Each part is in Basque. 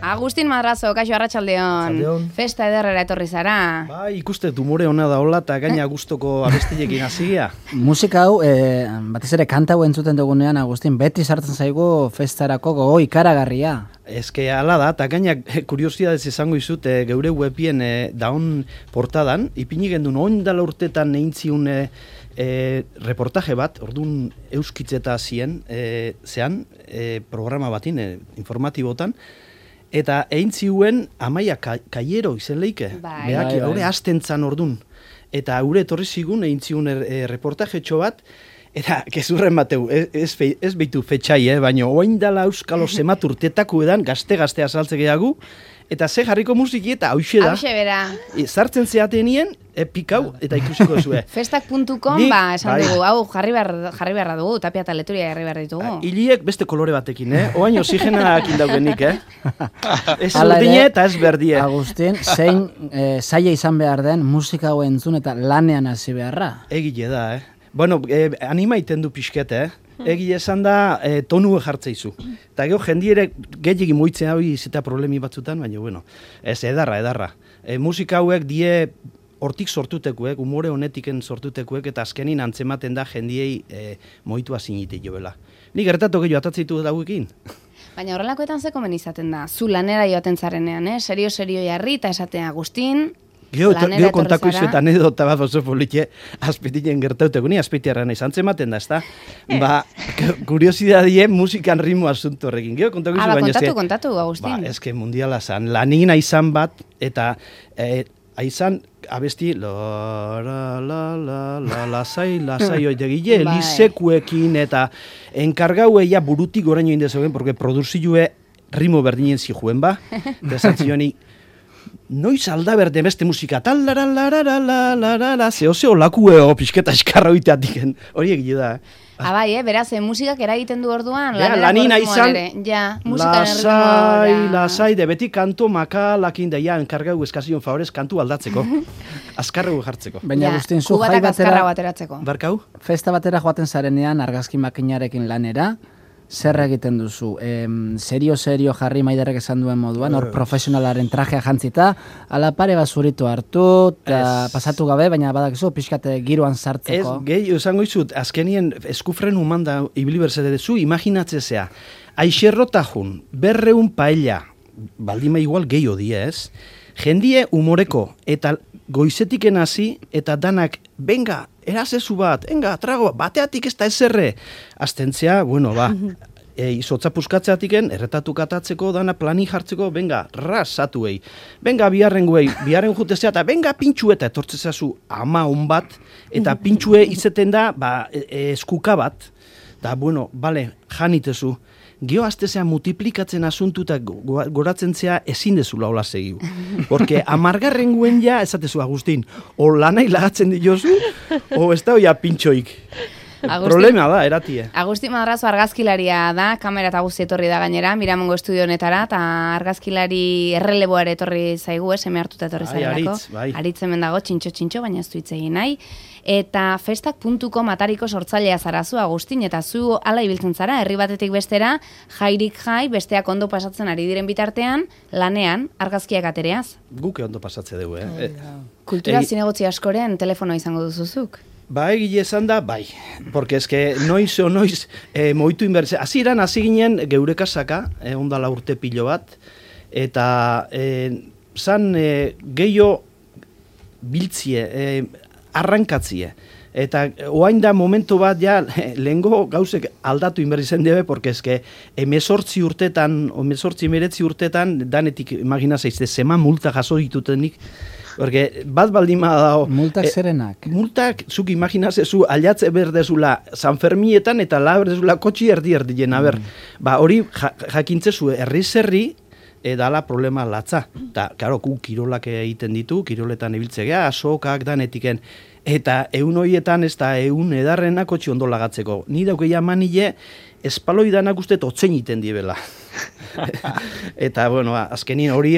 Agustin Madrazo, kaixo arratsaldeon. Festa ederrera etorri zara. Bai, ikuste tumore ona da hola eta gaina gustoko abestilekin hasia. Musika hau, batez ere kanta hau entzuten dugunean, Agustin, beti sartzen zaigu festarako gogo ikaragarria. Eske hala da, eta gaina kuriosidadez izango izut, geure webien daun portadan, ipini gendun oindala urtetan egintziun reportaje bat, orduan euskitzeta zean, programa batin, informatibotan, eta egin ziuen Amaia Kaiero izen leike. Behaki, haure astentzan ordun. Eta haure etorri zigun egin ziuen reportajetxo bat, eta gezurren bateu, ez behitu fetxai, baina oain dala euskalo zemat urtetako edan, gazte-gazte azaltze gehiago, eta ze jarriko musiki eta hauxe da. Hauxe bera. Zartzen zeatenien, pikau, eta ikusiko zue. Festak.com, esan dugu, hau jarri beharra dugu, Tapia eta Leturia jarri behar ditugu. Hiliek beste kolore batekin, oain oxigenak indaugenik, Ez urdine eta ez berdie. Agustin, zein zaila izan behar den musika hau entzun eta lanean hasi beharra? Egile da, Bueno, anima iten du pixkete, Egile esan da tonu jartzeizu. Eta gero jendiere gehiagin moitzen hau izita problemi batzutan, baina bueno, ez edarra. Musika hauek die hortik sortutekuek, umore honetiken sortutekuek, eta azkenin antzematen da jendiei moitua zinite joela. Ni gertatu gehiago atatzeitu dauekin. Baina horrelakoetan ze komen izaten da, zu lanera joaten zarenean, Serio jarri eta esaten Agustin, Geo kontako izu eta anedota bat oso politxe azpetinen gertauteko, ni azpetiarra nahi zantzematen da, ezta? Kuriosidadie musikan ritmo asunto horrekin. Geo kontako izu baina kontatu, Agustin. Eske mundiala zan, lanina izan bat, eta aizan abesti lasai oitegile, lisekuekin, eta enkargaueia burutik goraino indezogen, porque produzioe ritmo berdinen zijuen ba, desantzioni, noiz alda berde beste musika, talararararararara, zeo lakueo pixketa eskarra oiteatiken, hori egile da, Bai, beraz, musikak eragiten du orduan, lanina izan, lasai, de beti kanto makalakin da, enkargau eskazion favorez kantu aldatzeko, azkarregu jartzeko. Baina Agustin, zu jai batera, barkau? Festa batera joaten zarenean argazki makinarekin lanera, zer egiten duzu? Serio jarri Maiderrek esan duen moduan, hor profesionalaren trajea jantzita, ala pare bat zuritu hartu, eta pasatu gabe, baina badakizu pixkate giroan sartzeko. Ez, gehi, esango izut, azkenien eskufren humanda ibili berzede dezu, imaginatzezea, aixerro tajun, 200 paella, baldima igual gehi odie, ez? Jendie humoreko, eta goizetiken hasi, eta danak, benga, erazezu bat, trago, bateatik ez da ezerre. Aztentzea, bueno, izotza puskatzeatiken, erretatu katatzeko, dana plani jartzeko, benga, rasatuei. Benga, biharren jutezea, eta benga pintxue, eta etortzezazu ama bat, eta pintxue izeten da, eskuka bat. Da, bueno, bale, janitezu. Geo aztezea multiplikatzen asuntu eta goratzen zea ezin dezula hola segiu. Porque amargarren guen ja, esatezu Agustin, o lanai lagatzen diozu, o ez da oia pintxoik. Problema da, eratie. Agustin Madrazo argazkilaria da, kamera eta guzti etorri da gainera, Miramongo estudio honetara, eta argazkilari erreleboare etorri zaigu, seme hartuta etorri zaigu. Aritz hemen dago, txintxo, baina ez du hitz egin nahi. Eta festak.com atariko sortzailea zarazu, Agustin, eta zu ala ibiltzen zara, herri batetik bestera, jairik jai, besteak ondo pasatzen ari diren bitartean, lanean, argazkiak atereaz. Guke ondo pasatze dugu, Kultura zinegotzi askoren telefonoa izango duzuzuk. Egile esan da, porque eske noiz moitu inbertze. Hasi ginen geure kasaka, ondala urte pilo bat, eta zan gehiago biltzie, arrankatzie. Eta oain da momentu bat, lehengo gauzek aldatu inbertzen debe, porque eske 18 urtetan, 19 urtetan, danetik imagina zaizte, zema multa jaso ditutenik, porque bat baldima dao... Multak zerenak? Multak, zuk imaginazezu, aliatze berdezula San Fermietan eta la berdezula kotxi erdi-erdien, hori jakintzezu herri-zerri, dala problema latza. Eta, karo, kirolak egiten ditu, kiroletan ibiltzegea, asokak danetiken, eta eun horietan ez da eun edarrenak kotxi ondo lagatzeko. Ni daukeia manile, espaloidanak uste otzen iten diebela. Eta, bueno, azkenin hori,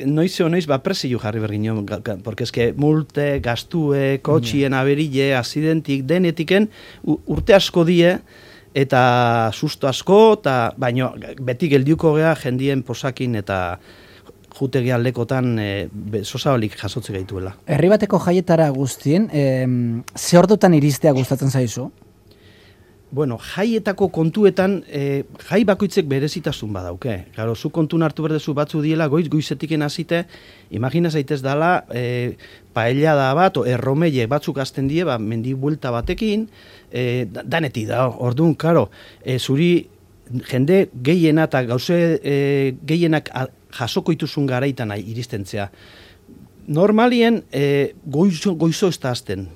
noiz presio jarri bergin, porque eske multe, gastue, kotxien aberille, azidentik, denetiken, urte asko die, eta susto asko, eta baino beti geldiuko gea jendien posakin eta jutegi aldekotan sosabalik jasotze gaituela. Herri bateko jaietara guztien, ze ordutan iristea gustatzen zaizu? Bueno, jaietako kontuetan, jai bakoitzek berezitasun badauke. Claro, zu kontun hartu berdezu batzu diela, goizetiken hasite, imagina zaitez dala, paella da bat, o erromeie batzuk hasten die, mendi buelta batekin, daneti da, orduan, karo, zuri jende gehiena eta gauze gehienak jasoko ituzun garaitan iristentzea. Normalien, goizo ez da hasten,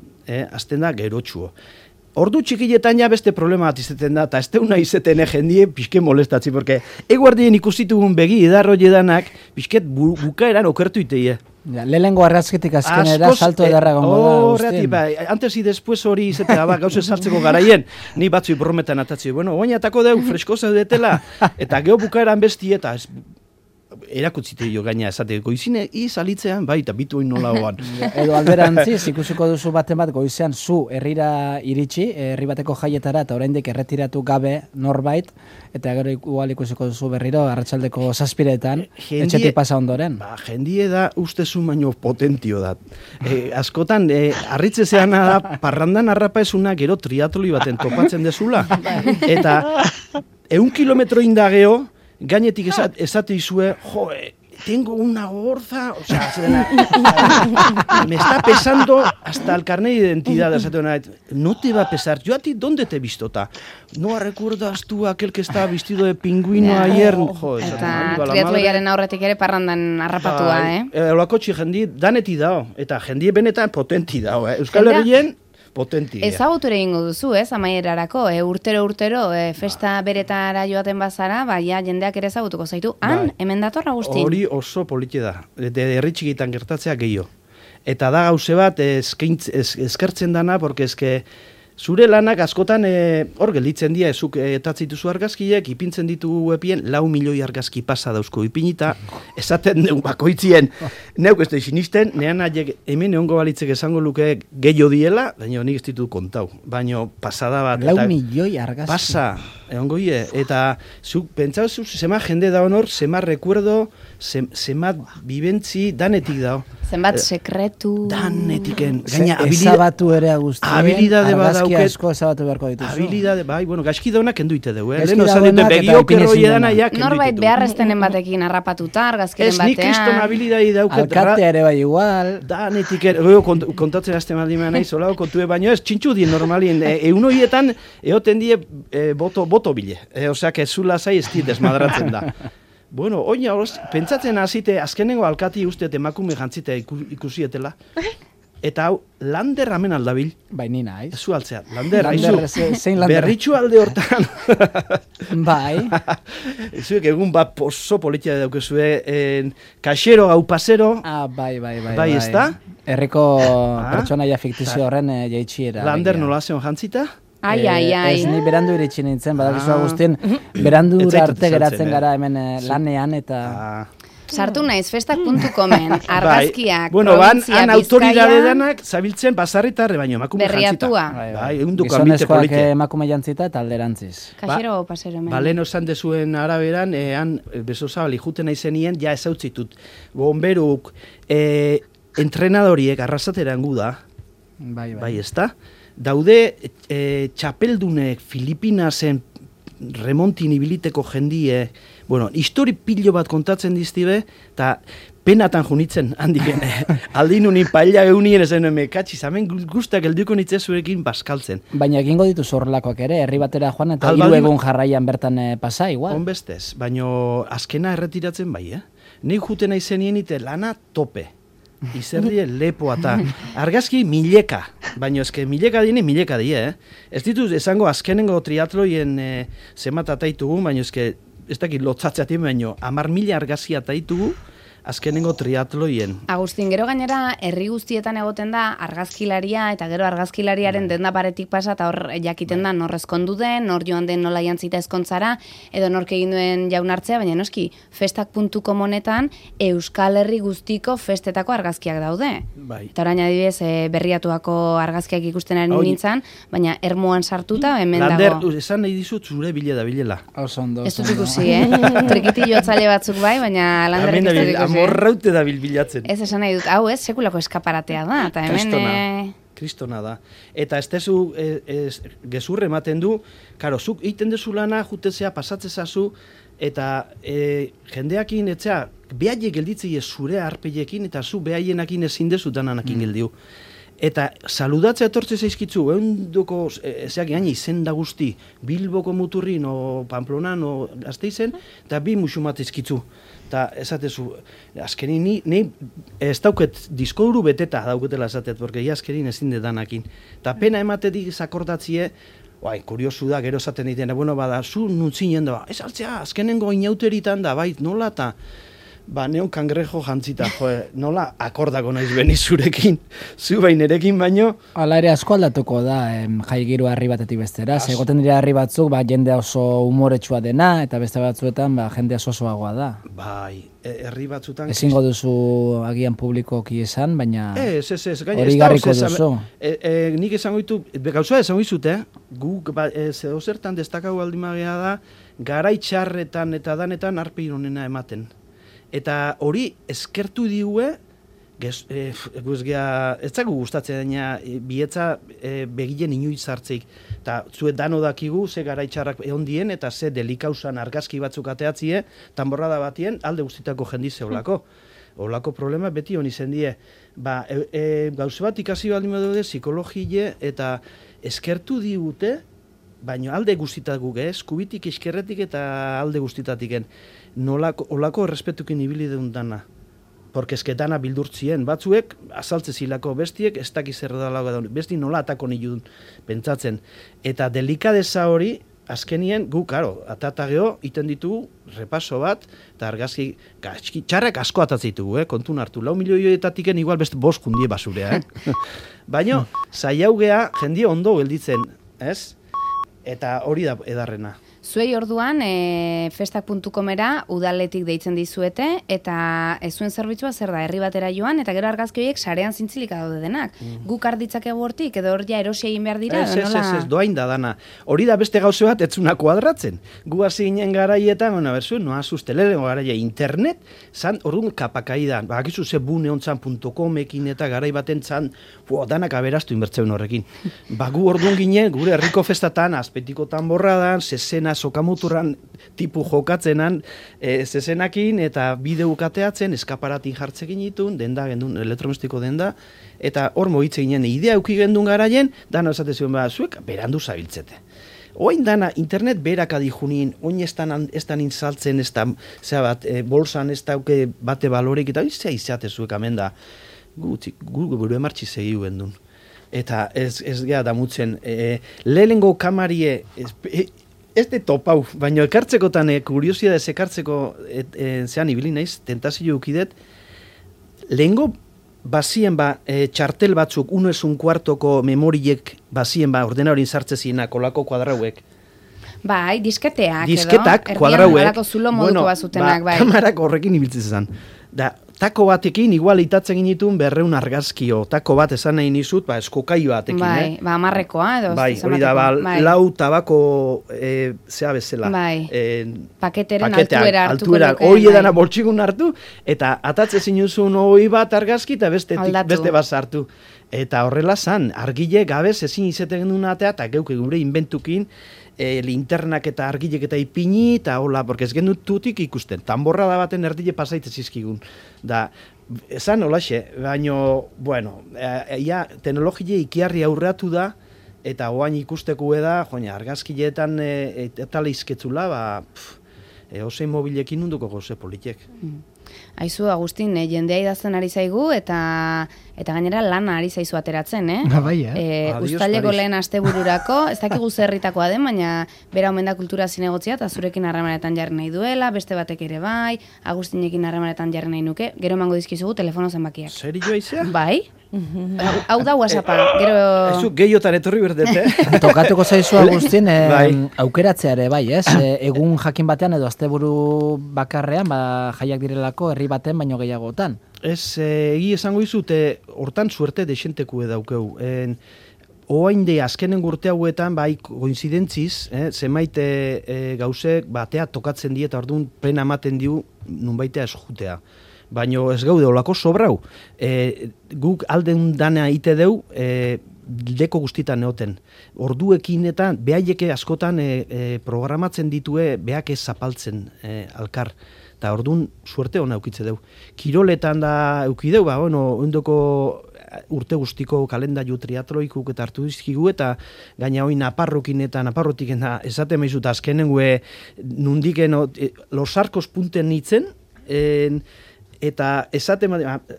hasten da gerotxuo. Ordu txikiletan ja beste problema bat izeten da, eta ez teuna izeten jendie pixke molestatzi, porque eguardien ikusitugun begi edarro jedanak, pixket bukaeran okertu iteie. Ja, lehengo argazketik azkenera salto edarra gongo da. Horreati, antes y después hori izetea, gauze sartzeko garaien, ni batzu brometan atatzi, bueno, oinatako deu, fresko zaudetela, eta geho bukaeran besti eta erakutzite jo gaina esate goizine izalitzean eta bituin nolagoan. Edo alberantziz ikusiko duzu baten bat goizean zu herrira iritsi, herri bateko jaietara eta oraindik erretiratu gabe norbait eta gero igual ikusiko duzu berriro arratsaldeko 7etan etxetik pasa ondoren. Jendie da ustezu baino potentio da. Askotan harritzezeana da parrandan harrapa esuna gero triatloi baten topatzen dezula eta 100 kilometro indageo gainetik esate izue, tengo una gorza, o sea, me está pesando hasta el carnet de identidad, no te va a pesar, yo a ti, ¿dónde te he visto? ¿No recuerdas tú aquel que estaba vestido de pingüino ayer? Eta triatloiaren aurretik ere parrandan harrapatua, Olakotxi jendi daneti dao, eta jendi benetan potenti dao, Euskal Herrien, potentia. Ezaguture egingo duzu, amaierarako, urtero, festa beretara joaten bazara, ja jendeak ere ezagutuko zaitu, hemen datorra guztin. Hori oso politia da, herritxikitan gertatzea gehiago. Eta da gauze bat eskertzen dana, porque eske zure lanak askotan hor gelditzen dira, ezuk etatzituzu argazkiek, ipintzen ditugu epien, 4 milioi argazki pasa dauzko ipinita, esaten dugu bakoitzien, neuk ez da sinisten, nean haiek hemen egongo balitzek esango luke gehiago diela, baina nik ez ditu kontau, baina pasada bat. 4 milioi argazki. Pasa, egongo ie, eta zuk pentsauzu, zema jende da honor, zema recuerdo, zema bibentzi, danetik dao. Zenbat sekretu. Danetiken. Gaina, ezabatu ere agustien. Habilidade argazki asko ezabatu beharko dituzu. Habilidade, bueno, gaizki daunak enduite dugu. Lehen osan dute begiokero edana ja kenduite dugu. Norbait beharreztenen batekin harrapatuta, argazkiren batean. Ez nik kriston habilidade dauket. Alkatea ere bai igual. Danetiken, kontatzen azte maldimean nahi, zolao kontue, baino ez, txintxu dien normalien. Eunoietan, eoten die boto bile. Oseak ez zula zai ez dit desmadratzen da. Bueno, oina, pentsatzen hasite azkenengo alkati usteet emakume jantzite ikusietela. Eta hau, Lander ramen aldabil. Bai, ni naiz. Ezu altzea, Lander, zein Lander? Berritxu alde hortan. Bai. Ezuek egun bat oso politia daukezue, kaxero gau pasero. Bai. Bai, ez da? Herriko pertsonaia fiktizio horren jaitxiera. Lander nola zeon jantzita? Ai. Ez ni berandu iritsi nintzen, badakizu Agustin, berandu arte geratzen gara hemen lanean eta... Sartu naiz, festak.comen, argazkiak, bueno, provintzia, han autoridade danak zabiltzen basarritarre baino, emakume jantzita. Berriatua. Gizonezkoak emakume jantzita eta alderantziz. Kaxero pasero hemen. Balen osan dezuen araberan, han bezosabali juten aizenien, ja ezautzitut. Bomberuk, entrenadoriek arrasateran gu da. Bai, ez da? Daude txapeldunek Filipinasen remontin ibiliteko jendie, bueno, histori pilo bat kontatzen diztibe, eta penatan junitzen handiken. Aldin unin paella eunien ezen katxiz, hemen guztak elduko nitzezuekin baskaltzen. Baina egingo ditu zorlakoak ere, herri batera joan eta 3 egun jarraian bertan pasa, igual. Honbestez, baina azkena erretiratzen bai, Nik juten aizenien ite lana tope. Izerdie lepoa eta argazki mileka, baina ezke mileka die, Ez dituz esango azkenengo triatloien zemat ataitugu, baina ezke ez dakit lotzatzeatik, baina 10.000 argazki ataitugu, azkenengo triatloien. Agustin, gero gainera, herri guztietan egoten da argazkilaria, eta gero argazkilariaren denda paretik pasa, eta hor jakiten da nor ezkondu den, nor joan den nola jantzita ezkontzara, edo nork egin duen jaunartzea, baina noski, festak.com honetan Euskal Herri guztiko festetako argazkiak daude. Bai. Eta orain adibidez, berriatuako argazkiak ikusten ari nintzen, baina ermuan sartuta, hemen Lander, dago. Esan nahi dizut zure bilela. Osondo. Ez dut ikusi, Trikitillo atzale batzuk bai, baina Landerrik ez dut ikusi. Amorraute da bilbilatzen. Ez esan nahi dut, hau ez, sekulako eskaparatea da, eta hemen... Kristona da. Eta ez tezu gezurre ematen du, karo, zuk egiten dezu lana, jutezea, pasatzezazu, eta jendeakin, etzea, behaiek gelditzei zure arpeiekin, eta zu behaienakin ezin dezu dananakin geldiu. Eta saludatzea etortze zaizkitzu, eundoko, ezeak gaina izen da guzti, Bilboko muturrin, o Pamplonan, o Gasteizen, eta bi musumat izkitzu. Eta esatezu, azkenin, ni ez dauket diskoduru beteta dauketela esatet, porque azkenin ezin danakin. Eta pena ematetik zakordatzie, kuriosu da, gero esaten ditena, bueno, bada, zu nuntzinen da, ez altzea, azkenengo inauteritan da, bai, nola, eta neon kangrejo jantzita, nola akordako naiz beni zurekin, zu bainerekin baino. Hala ere asko aldatuko da, jaigiru harri batetik bestera, egoten dira harri batzuk, jende oso humoretsua dena, eta beste batzuetan, jende osoagoa da. Bai, herri batzutan... Ezingo duzu agian publikoki esan, baina hori garriko duzu. Nik esango ditu, gauza esango dizut, guk zertan destakau aldimagea da, garaitxarretan eta danetan arpe ironena ematen. Eta hori eskertu diue, ez zagu gustatzen dena, bietza begilen inoiz hartzeik. Eta zuet dano dakigu, ze garaitxarrak ehondien, eta ze delikausan argazki batzuk ateatzie, tanborrada batien, alde guztitako jendize olako. Olako problema beti honi zendie. Gauze bat ikasi baldin badaude, psikologie, eta eskertu digute, baina alde guztitakuk, eskubitik, eskerretik eta alde guztitatiken. Olako errespetukin ibili deun dana. Porque esketana bildurtzien batzuek, azaltze zilako bestiek, ez dakiz erredalago da, besti nola atako nilun pentsatzen. Eta delikadeza hori, azkenien, gu, karo, atatageo, iten ditugu, repaso bat, eta argazki, txarrak asko atatzitugu, kontun hartu. 4 milioietatiken igual beste 5 jundie basurea, Baina, zaiaugea, jendie ondo gelditzen, ez? Eta hori da edarrena. Zuei orduan, festak.comera udaletik deitzen dizuete, eta ez zuen zerbitzua zer da, herri batera joan, eta gero argazki horiek sarean zintzilika daude denak. Guk arditzakegu hortik, edo hor ja erosi egin behar dira? Ez, doain da dana. Hori da beste gauze bat, etzuna kuadratzen. Gu hasi ginen garaietan, noa sustelengo garaia internet, zan orduan kapakaidan, bakizu ze buneontzan.comekin eta garai baten zan, danak aberastu inbertzeun horrekin. Gu orduan ginen, gure herriko festatan, azpetiko tanborradan, zezena sokamuturran tipu jokatzenan zezenakin eta bideo kateatzen, eskaparatin jartzekin ditun, denda gendun, elektromestiko denda, eta hor mogitze ginen, idea euki gendun garaien, dana esate zion zuek, berandu zabiltzete. Oain dana, internet berak adijunin, oin ez dan intzaltzen, ez da, bolsan ez dauke bate balorek, eta izia izate zuek amen da, gu buru emartzi segiu gendun. Eta ez geha damutzen, lehenengo kamarie, ez de topau, baina ekartzekotan, kuriosidadez ekartzeko zean ibili naiz, tentazio eukidet, lehengo bazien txartel batzuk, 1:15 memoriek bazien ordena horin sartzezienak, olako kuadrauek. Bai, disketeak edo. Disketak, kuadrauek. Erdian zulo moduko bazutenak, bai. Kamarak horrekin ibiltzen zen. Da, tako batekin, igual itatzen ginitun 200 argazkio. Tako bat esan nahi nizut, eskokai batekin. Bai, amarrekoa edo. Bai, hori da, lau tabako zea bezala. Bai, paketeren altuera hartuko luke. Hori edana boltsikun hartu, eta atatze zinuzun hori bat argazki, eta beste bat sartu. Eta horrela zan, argile gabez ezin izeten genuen atea, eta geuke gure inventukin, linternak eta argilek eta ipini, eta hola, porque ez genut tutik ikusten. Tanborra da baten erdile pasaitez izkigun. Da, esan holaxe, baina, bueno, teknologia ikiarri aurreatu da, eta oain ikusteko da, argazkileetan eta leizketzula, osein mobilekin unduko goze politek. Aizu, Agustin, jendea idazten ari zaigu eta gainera lana ari zaizu ateratzen, Bai, Uztaileko lehen astebururako, ez dakigu zerritakoa den, baina bera omen da kultura zinegotzia eta zurekin harremanetan jarri nahi duela, beste batek ere bai, Agustinekin harremanetan jarri nahi nuke, gero emango dizkizugu telefono zenbakiak. Serio izea? Bai? Hau da WhatsAppa, gero... Ezu, gehiotan etorri berdete. Tokatuko zaizu, Agustin, aukeratzea ere, bai, ez? Egun jakin batean edo asteburu bakarrean, jaiak direlako herri baten baino gehiagotan. Ez, egi esango izute, hortan suerte dexenteku edaukeu. Oainde azkenen urte hauetan, bai, koinzidentziz, zenbait gauzek batea tokatzen die eta orduan pena ematen diu nunbaitea esjutea. Baina ez gaude olako sobrau. Guk alden dana ite deu, deko guztitan neoten. Orduekin eta behaieke askotan programatzen ditue behak ez zapaltzen alkar. Eta orduan suerte hona eukitze deu. Kiroletan da eukideu, ondoko urte guztiko kalendaiu triatloikuk eta hartu dizkigu eta gaina hoi naparrokin eta naparrotik esate maizut azkenengue nundiken los arcos punten nitzen, eta esate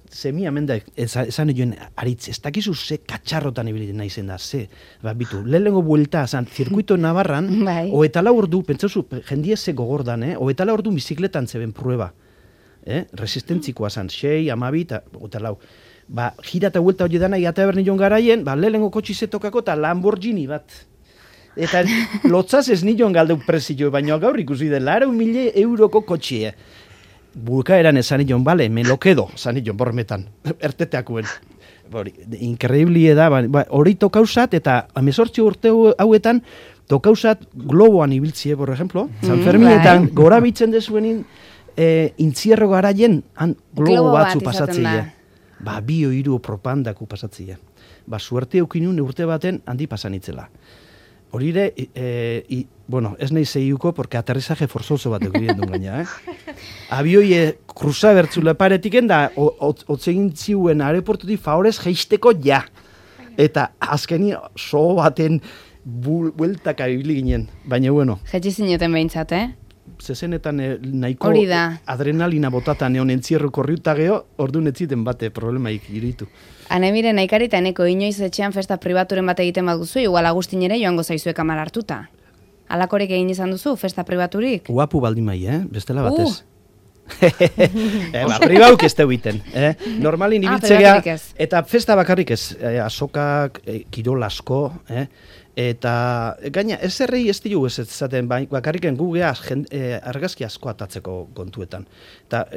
zemi amenda esan joen aritz, ez dakizu ze katxarrotan ibiliten naizen da, bitu, lehenengo buelta, zirkuito Navarran, hoetala ordu, pentsauzu, jendie ze gogordan, hoetala ordu bizikletan zeben prueba, resistentzikoa zan, 6, 12, hoetala, gira eta buelta hori dana, eta berni joan garaien, lehenengo kotxi zetokako eta Lamborghini bat. Eta lotzaz ez nion galdeu prezio, baina gaur ikusi den, 100.000 euroko kotxie. Bukaeran esan nion, bale, me lo quedo, esan nion, bormetan, erteteakuen. Increíble da, hori tokausat, eta 18 urte hauetan, tokausat globoan ibiltzie, por ejemplo, San Ferminetan, gora bitzen dezuenin, intzierro garaien, globo batzu pasatzea. 2 3 propandaku pasatzea. Suerte eukinun urte baten handi pasanitzela. Hori ere, ez nahi zeiuko, porque aterrizaje forzoso bat egiten duen gaina, Abioi kruza bertzula paretiken da, otzegin ziuen aeroportutik favorez geisteko ja. Eta azkeni so baten bueltaka ibili ginen, baina bueno. Jetzi zineten behintzat, Zezenetan nahiko adrenalina botatan egon entzierro korriuta geho, orduan ez ziten bate problemaik iritu. Anemire nahikari eta eneko inoiz etxean festa pribaturen bat egiten bat duzu, igual Agustin ere joango zaizue kamara hartuta. Alakorek egin izan duzu, festa pribaturik? Guapu baldin mai, bestela batez. Pribauk ez teu iten. Normalin ibiltzea, eta festa bakarrik ez, azokak, kirol asko, eta gaina, ez errei ez diu ez zaten, bakarriken gugea argazki asko atatzeko kontuetan. Eta,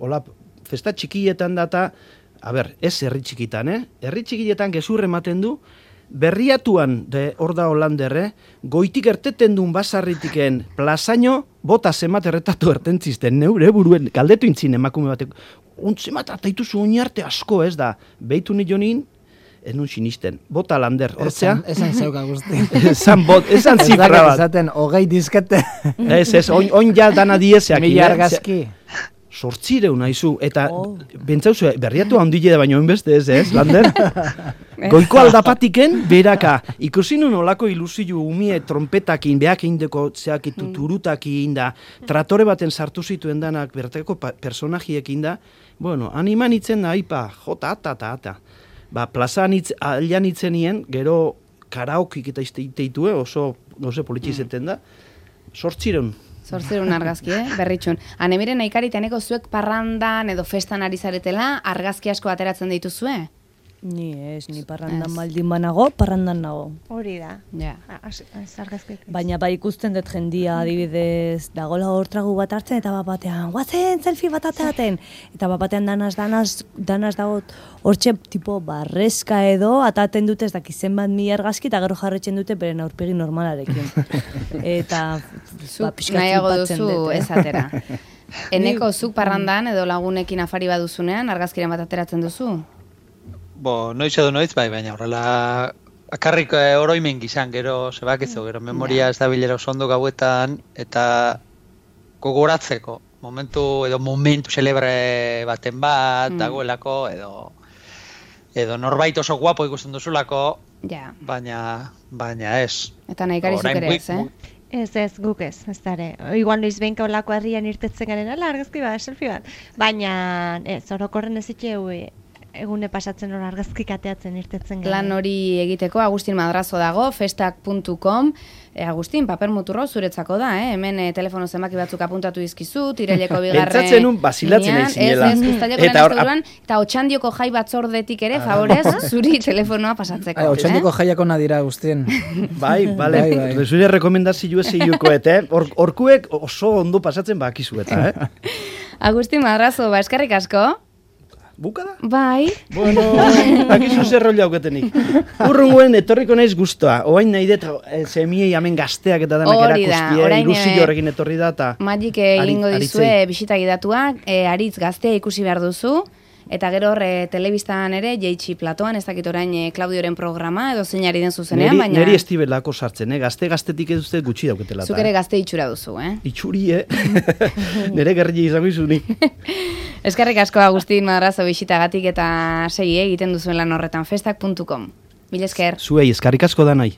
hola, festa txikietan data, ez herri txikitan, herri txikietan gezurre ematen du, berriatuan, hor da Holanderre, goitik erteten duen basarritiken plazaino, bota zemat erretatu ertentzizten, neure buruen, galdetu intzin emakume batek, zemat ataituzu oinarte asko ez da, behitu nionin, ez nun sinisten, bota Lander, hortzea? Esan zeuka guzti. Esan zifra bat. Esaten, 20 diskete. Ez, oin ja dana diezeak. Mila argazki. 800 nahizu, eta bentsauzu, berriatu handile da baino enbeste ez, Lander? Goiko aldapatiken, beraka, ikusi nun olako ilusiu umie trompetakin, behak indeko zeakitu turutakin da, tratore baten sartu zituen danak, bertako personajiekin da, animan itzen da, jota, ata. Plazan alian itzenien, gero karaokik eta iteitue, oso politxizeten da, 800. 800 argazki, berritxun. Anemiren nahikaritaneko zuek parrandan edo festan ari zaretela, argazki asko ateratzen dituzue? Ni parrandan baldin banago, parrandan nago. Hori da. Ja. Baina ikusten dut jendia adibidez dagola hor tragu bat hartzen eta batean, guazen selfie bat ateaten. Eta batean danaz dago hortxe tipo barrezka edo ataten dute ez dakizen bat 1000 argazki eta gero jarretzen dute beren aurpegi normalarekin. Eta nahiago duzu ez atera. Eneko zuk parrandan edo lagunekin afari baduzunean argazkiren bat ateratzen duzu? Noiz edo noiz, baina horrela akarrik oroimen gizan, gero zebakizu, gero memoria ez da bilera oso ondo gauetan, eta gogoratzeko, momentu celebre baten bat, dagoelako, edo norbait oso guapo ikusten duzulako, baina ez. Eta nahi garizuk ere ez, Ez, guk ez dara. Igual noiz behinka olako herrian irtetzen garen, argazki bat, selfie bat. Baina, orokorren ez itxeu egune pasatzen hor argazkik ateatzen irtetzen garen. Lan hori egiteko Agustin Madrazo dago, festak.com. Agustin, paper muturro zuretzako da, hemen telefono zenbaki batzuk apuntatu dizkizu, tireleko bigarren... Pentsatzen nun basilatzen nahi zinela. Eta otxandioko jai batzordetik ere, favorez, zuri telefonoa pasatzeko. Otxandioko jaiako nadira, Agustin. Bai, bale, zure rekomendazio zeiukoet, Orkuek oso ondo pasatzen bakizu eta, Agustin Madrazo, eskerrik asko. Buka da? Bai. Bueno, bakizu zer roli hauketenik. Urrunguen etorriko naiz guztua. Oain nahi dut semiei hemen gazteak eta danak erakustie, ilusio horrekin etorri da. Magik egingo dizue bisita gidatuak, aritz gaztea ikusi behar duzu. Eta gero telebistan ere, Jeitsi Platoan, ez dakit orain Claudioren programa, edo zeinari den zuzenean, baina... Neri estibelako sartzen, gaztetik ez duzte gutxi dauketela. Zuk ere gazte itxura duzu, Itxuri, Nere gerri izango izuni. Eskerrik asko Agustin Madrazo bisitagatik eta segi egiten duzuen lan horretan, festak.com. Mil esker. Zuei, eskerrik asko da nahi.